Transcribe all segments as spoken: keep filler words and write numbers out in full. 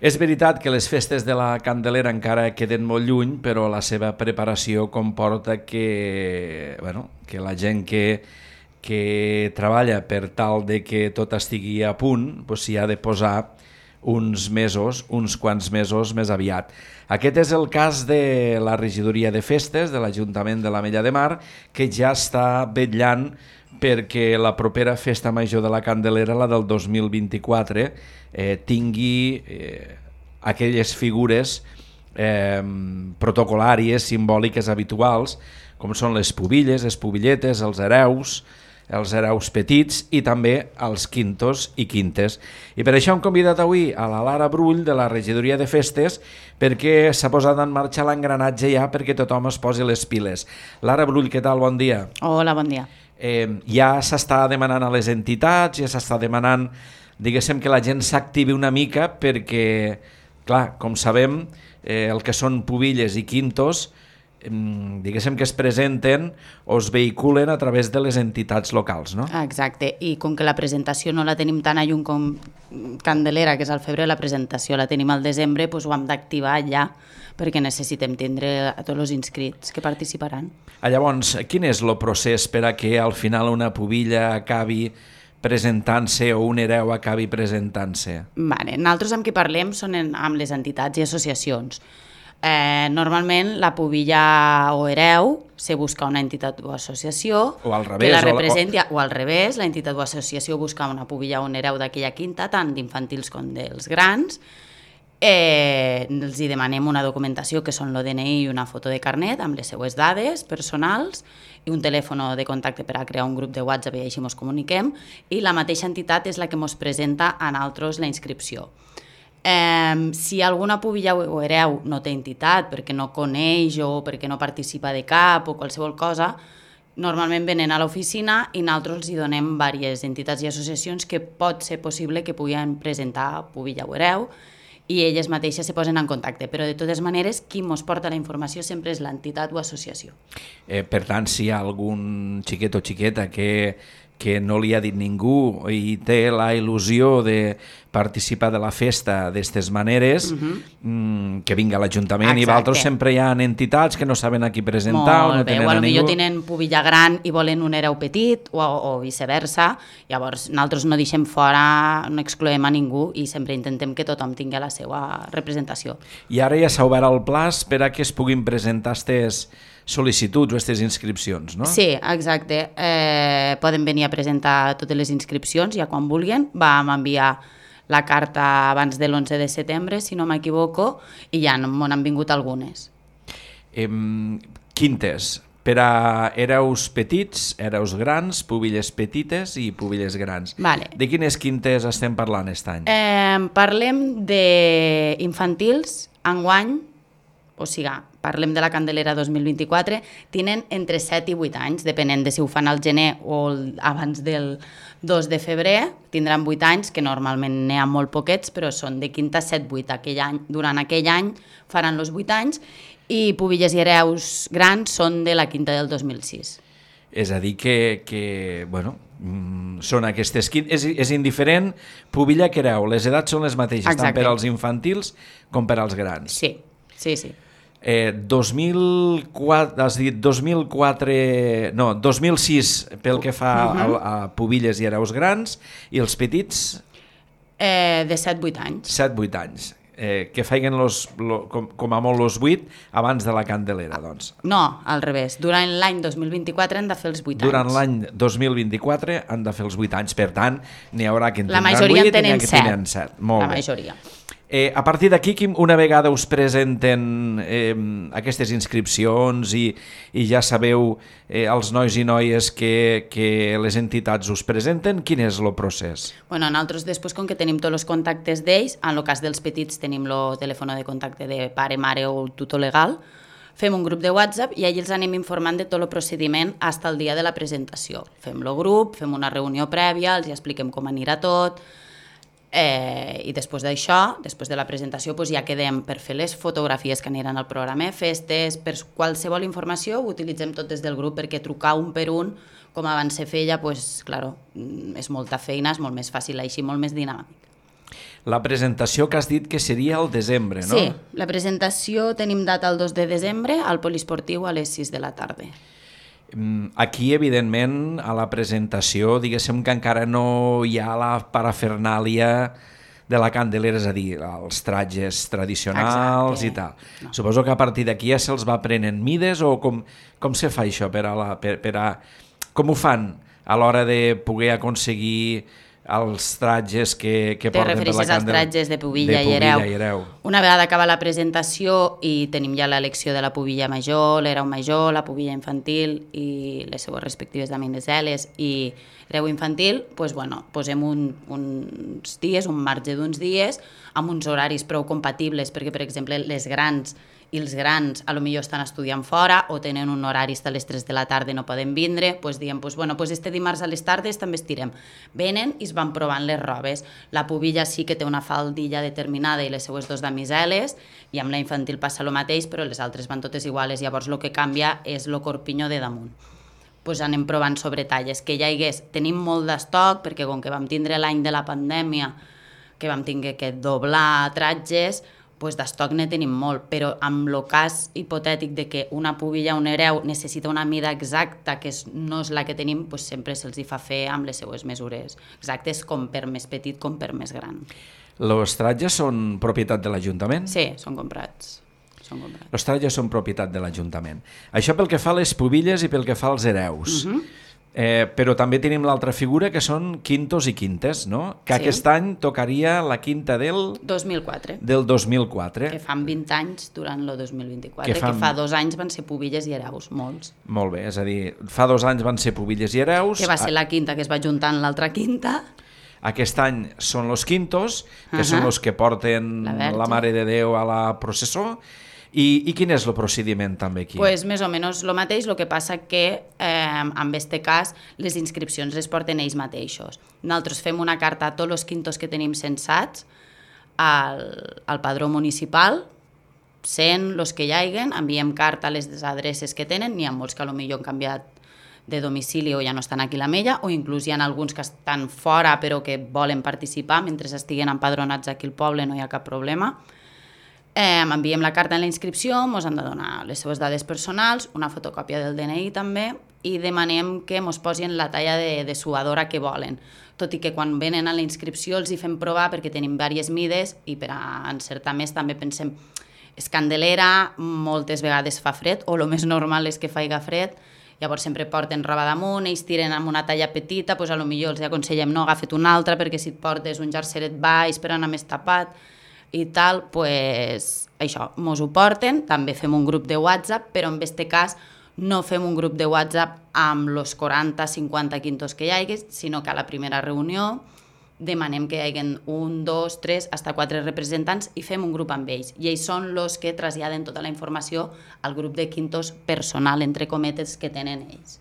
És veritat que les festes de la Candelera encara queden molt lluny, però la seva preparació comporta que, bueno, que la gent que, que treballa per tal de que tot estigui a punt doncs s'hi ha de posar uns mesos, uns quants mesos més aviat. Aquest és el cas de la regidoria de festes de l'Ajuntament de l'Ametlla de Mar, que ja està vetllant perquè la propera festa major de la Candelera, la del dos mil vint-i-quatre, eh, tingui eh, aquelles figures eh, protocolàries, simbòliques, habituals, com són les pubilles, les pubilletes, els hereus, els hereus petits i també els quintos i quintes. I per això hem convidat avui a la Lara Brull de la regidoria de festes perquè s'ha posat en marxa l'engranatge ja perquè tothom es posi les piles. Lara Brull, què tal? Bon dia. Hola, bon dia. Eh, ja s'està demanant a les entitats, ja s'està demanant, diguéssim, que la gent s'activi una mica perquè, clar, com sabem, eh, el que són pubilles i quintos, eh, diguéssim que es presenten o es vehiculen a través de les entitats locals, no? Exacte, i com que la presentació no la tenim tan a lluny com Candelera, que és al febrer, la presentació la tenim al desembre, doncs ho hem d'activar ja, perquè necessitem tindre a tots els inscrits que participaran. Ah, llavors, quin és el procés per a que al final una pubilla acabi presentant-se o un hereu acabi presentant-se? Vale, nosaltres amb qui parlem són en, amb les entitats i associacions. Eh, normalment la pubilla o hereu se busca una entitat o associació o al revés, que la representi, o, o... o al revés, la entitat o associació busca una pubilla o un hereu d'aquella quinta, tant d'infantils com dels grans. Eh, els hi demanem una documentació que són l'O D N I i una foto de carnet amb les seues dades personals i un telèfon de contacte per a crear un grup de WhatsApp i així ens comuniquem, i la mateixa entitat és la que ens presenta a nosaltres la inscripció. Eh, si alguna pubilla o hereu no té entitat perquè no coneix o perquè no participa de cap o qualsevol cosa, normalment venen a l'oficina i nosaltres els hi donem diverses entitats i associacions que pot ser possible que puguin presentar pubilla o hereu i elles mateixes se posen en contacte, però de totes maneres qui ens porta la informació sempre és l'entitat o associació. Eh, per tant, si hi ha algun xiquet o xiqueta que, que no li ha dit ningú i té la il·lusió de participar de la festa d'aquestes maneres, uh-huh. mm, que vinga a l'Ajuntament. I d'altres sempre hi ha entitats que no saben a qui presentar o no tenen a ningú. Potser tenen pubilla gran i volen un hereu petit o, o viceversa, llavors nosaltres no deixem fora, no excloem a ningú i sempre intentem que tothom tingui la seva representació. I ara ja s'ha obert el plaç per a que es puguin presentar aquestes sol·licituds o aquestes inscripcions, no? Sí, exacte. Eh, poden venir a presentar totes les inscripcions ja quan vulguin. Vam enviar la carta abans de l'onze de setembre, si no m'equivoco, i ja m'han vingut algunes. Eh, quintes, per a hereus petits, hereus grans, pubilles petites i pubilles grans. Vale. De quines quintes estem parlant aquest any? Eh, parlem d'infantils, enguany, o sigui, parlem de la Candelera dos mil vint-i-quatre, tenen entre set i vuit anys, depenent de si ho fan al gener o abans del dos de febrer, tindran vuit anys, que normalment n'hi ha molt poquets, però són de quinta a set vuit. Aquell any, durant aquell any faran els vuit anys, i pubilles i hereus grans són de la quinta del dos mil sis. És a dir que, que bueno, són aquestes quintes, és, és indiferent pubilla que hereu, les edats són les mateixes, Exacte. Tant per als infantils com per als grans. Sí, sí, sí. Eh, dos mil quatre, has dit dos mil quatre, no, dos mil sis pel que fa uh-huh. a, a pubilles i hereus grans, i els petits? Eh, de set vuit anys. set vuit anys. Eh, que feien los, lo, com, com a molt els vuit abans de la Candelera, doncs. No, al revés. Durant l'any dos mil vint-i-quatre han de fer els vuit anys. Durant l'any dos mil vint-i-quatre han de fer els vuit anys. Per tant, n'hi haurà que en tindran vuit i n'hi ha que set. tenen set. Molt La bé. majoria. Eh, a partir d'aquí, una vegada us presenten eh, aquestes inscripcions i, i ja sabeu eh, els nois i noies que, que les entitats us presenten, quin és el procés? Bueno, nosaltres després, com que tenim tots els contactes d'ells, en el cas dels petits tenim el telèfon de contacte de pare, mare o el tutor legal, fem un grup de WhatsApp i allà els anem informant de tot el procediment fins al dia de la presentació. Fem el grup, fem una reunió prèvia, els expliquem com anirà tot. Eh, i després d'això, després de la presentació, doncs ja quedem per fer les fotografies que aniran al programa de festes, per qualsevol informació ho utilitzem tot des del grup, perquè trucar un per un, com abans se feia, doncs, claro, és molta feina, és molt més fàcil així, molt més dinàmic. La presentació que has dit que seria al desembre, no? Sí, la presentació tenim data el dos de desembre al poliesportiu a les sis de la tarda. Aquí, evidentment, a la presentació, diguéssim que encara no hi ha la parafernàlia de la Candelera, és a dir, els tratges tradicionals. Exacte. I tal. No. Suposo que a partir d'aquí ja se'ls va prenent mides o com, com se fa això? Per a la, per, per a, com ho fan a l'hora de poder aconseguir els tratges que, que porten per la Candelera? Te refereixes als tratges de pubilla, de i, hereu. i hereu. Una vegada acaba la presentació i tenim ja l'elecció de la pubilla major, l'hereu major, la pubilla infantil i les seues respectives damineseles i hereu infantil, doncs, bueno, posem un, uns dies, un marge d'uns dies, amb uns horaris prou compatibles, perquè, per exemple, les grans i els grans a lo millor estan estudiant fora o tenen un horari a les tres de la tarda i no poden vindre, doncs diem, doncs, bueno, doncs este dimarts a les tardes també estirem. Venen i es van provant les robes. La pubilla sí que té una faldilla determinada i les seues dos damiseles, i amb la infantil passa el mateix, però les altres van totes iguales, llavors el que canvia és el corpinyó de damunt. Pues anem provant sobre talles, que ja hi hagués, tenim molt d'estoc, perquè com que vam tindre l'any de la pandèmia, que vam tindre que doblar tratges, pues d'estoc ne tenim molt, però amb el cas hipotètic de que una pubilla o un hereu necessita una mida exacta que no és la que tenim, pues sempre se'ls hi fa fer amb les seues mesures exactes, com per més petit com per més gran. Els tratges són propietat de l'Ajuntament? Sí, són comprats. Són comprats. Els tratges són propietat de l'Ajuntament. Això pel que fa a les pubilles i pel que fa als hereus. Uh-huh. Eh, però també tenim l'altra figura que són quintos i quintes, no? Que sí. Aquest any tocaria la quinta del... dos mil quatre. Del dos mil quatre. Que fan vint anys durant el dos mil vint-i-quatre, que, fan... que fa dos anys van ser pubilles i hereus, molts. Molt bé, és a dir, fa dos anys van ser pubilles i hereus... Que va ser la quinta que es va juntar amb l'altra quinta. Aquest any són los quintos, que uh-huh. són els que porten la, la Mare de Déu a la processó. I, I quin és el procediment també aquí? Pues més o menys el mateix, el que passa que eh, en aquest cas les inscripcions les porten ells mateixos. Nosaltres fem una carta a tots els quintos que tenim censats al, al padró municipal, sent els que hi haiguen, enviem carta a les adreces que tenen, n'hi ha molts que potser han canviat de domicili o ja no estan aquí a l'Ametlla, o inclús hi ha alguns que estan fora però que volen participar, mentre estiguen empadronats aquí al poble no hi ha cap problema. Eh, enviem la carta en la inscripció, ens han de donar les seves dades personals, una fotocòpia del D N I també, i demanem que ens posin la talla de, de suadora que volen. Tot i que quan venen a la inscripció els hi fem provar perquè tenim diverses mides i per a encertar més també pensem és Candelera, moltes vegades fa fred, o el més normal és que faiga fred, llavors sempre porten roba damunt, ells tiren amb una talla petita, doncs potser els aconsellem no, agafa't una altra perquè si et portes un jerseret baix per anar més tapat, i tal, pues, això, mos ho porten, també fem un grup de WhatsApp, però en aquest cas no fem un grup de WhatsApp amb els quaranta cinquanta quintos que hi hagi, sinó que a la primera reunió demanem que hi hagi un, dos, tres, fins quatre representants i fem un grup amb ells. I ells són els que traslladen tota la informació al grup de quintos personal, entre cometes, que tenen ells.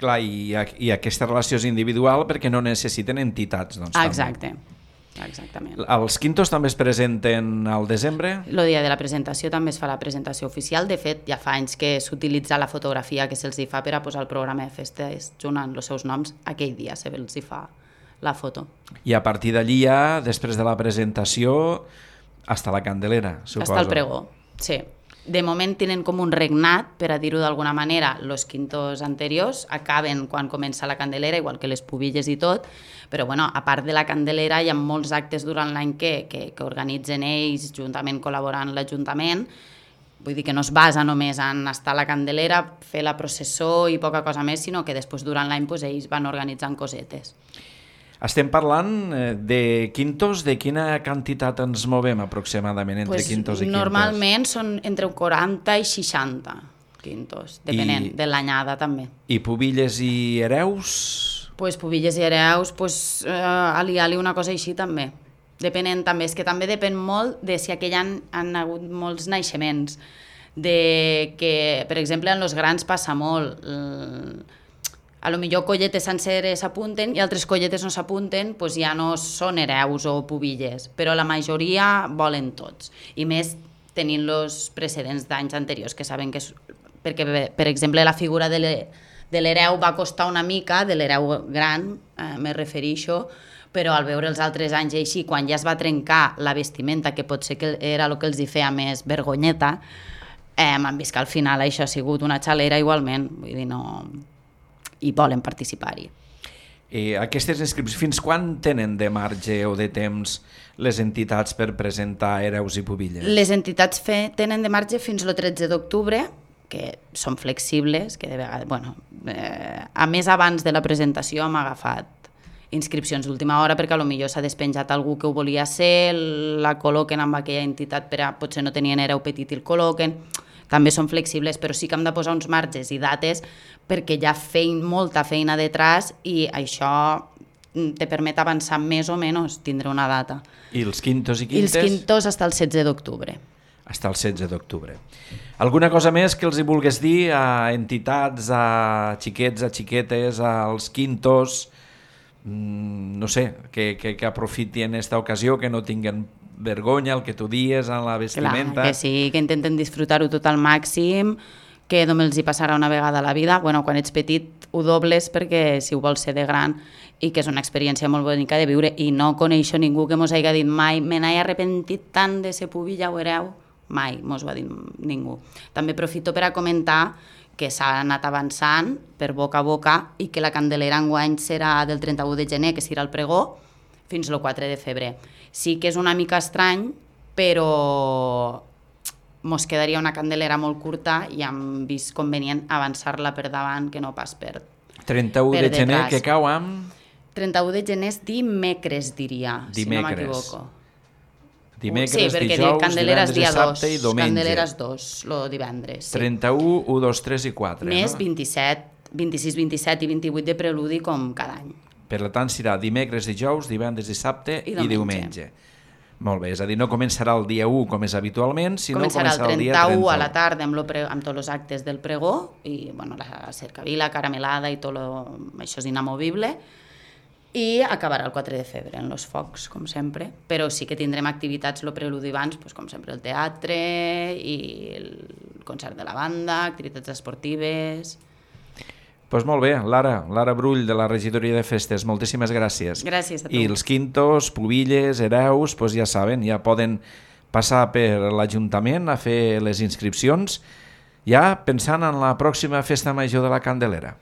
Clar, i, i aquesta relació és individual perquè no necessiten entitats, doncs. Exacte. També. Exactament. Els quintos també es presenten al desembre? El dia de la presentació també es fa la presentació oficial. De fet, ja fa anys que s'utilitza la fotografia que se'ls fa per a posar el programa de festes juntant els seus noms. Aquell dia se'ls fa la foto. I a partir d'allí ja, després de la presentació, hasta la Candelera, suposo. Hasta el pregó, sí. De moment tenen com un regnat, per a dir-ho d'alguna manera, els quintos anteriors acaben quan comença la Candelera, igual que les pubilles i tot, però bueno, a part de la Candelera hi ha molts actes durant l'any que, que, que organitzen ells, juntament col·laborant l'Ajuntament. Vull dir que no es basa només en estar a la Candelera, fer la processó i poca cosa més, sinó que després durant l'any pues, ells van organitzant cosetes. Estem parlant de quintos, de quina quantitat ens movem aproximadament entre pues quintos i quintes? Normalment són entre quaranta i seixanta quintos, depenent I, de l'anyada també. I pubilles i hereus? Pues pubilles i hereus, pues, eh, ali-ali una cosa així també. Depenent també, és que també depèn molt de si aquell any han hagut molts naixements, de que, per exemple, en els grans passa molt, eh, a lo millor colletes senceres s'apunten i altres colletes no s'apunten, doncs ja no són hereus o pubilles, però la majoria volen tots. I més tenint-los precedents d'anys anteriors, que saben que és... Perquè, per exemple, la figura de l'hereu va costar una mica, de l'hereu gran, eh, me refereixo, però al veure els altres anys i així, quan ja es va trencar la vestimenta, que potser que era el que els hi feia més vergonyeta, eh, han vist que al final això ha sigut una xalera igualment, vull dir, no... i volen participar-hi. Eh, aquestes inscripcions, fins quan tenen de marge o de temps les entitats per presentar Hereus i Pubilles? Les entitats fe, tenen de marge fins al tretze d'octubre, que són flexibles, que de vegades, bueno, eh, a més abans de la presentació hem agafat inscripcions d'última hora perquè potser s'ha despenjat algú que ho volia ser, la col·loquen amb aquella entitat, per a, potser no tenien hereu petit i el col·loquen, també són flexibles, però sí que hem de posar uns marges i dates perquè hi ha fein, molta feina detrás i això te permet avançar més o menys, tindre una data. I els quintos i quintes? I els quintos fins al setze d'octubre. Fins al setze d'octubre. Alguna cosa més que els hi vulguis dir a entitats, a xiquets, a xiquetes, als quintos, mm, no sé, que, que, que aprofitin aquesta ocasió, que no tinguen vergonya, el que tu dies, en la vestimenta... Clar, que sí, que intenten disfrutar-ho tot al màxim, que només els hi passarà una vegada a la vida. Bueno, quan ets petit ho dobles perquè si ho vols ser de gran, i que és una experiència molt bonica de viure, i no coneixo ningú que mos hagi dit mai me n'he arrepentit tant de ser pubilla o hereu, mai mos ho ha dit ningú. També aprofito per a comentar que s'ha anat avançant per boca a boca i que la Candelera enguany serà del trenta-u de gener, que serà el pregó, fins al quatre de febrer. Sí que és una mica estrany, però mos quedaria una Candelera molt curta i hem vist convenient avançar-la per davant, que no pas per trenta-u de gener, que cau amb... trenta-u de gener és dimecres, diria, dimecres. Si no m'equivoco. Dimecres, sí, dijous, Candelera divendres, dissabte i diumenge. Candelera és dos, el divendres. Sí. trenta-u, u, dos, tres i quatre. Més no? vint-i-set, vint-i-sis, vint-i-set i vint-i-vuit de preludi com cada any. Per tant, serà dimecres, dijous, divendres, dissabte i diumenge. I diumenge. Molt bé, és a dir, no començarà el dia u com és habitualment, sinó començarà, començarà el dia trenta-u. Començarà el trenta-u a la tarda amb, lo pre... amb tots els actes del pregó, i bueno, la cercavila, caramelada i tot lo... això és inamovible, i acabarà el quatre de febrer en els focs, com sempre, però sí que tindrem activitats el preludi abans, doncs, com sempre el teatre i el concert de la banda, activitats esportives... Doncs pues molt bé, Lara, Lara Brull de la Regidoria de Festes, moltíssimes gràcies. Gràcies a tu. I els quintos, pubilles, hereus, pues ja saben, ja poden passar per l'Ajuntament a fer les inscripcions, ja pensant en la pròxima festa major de la Candelera.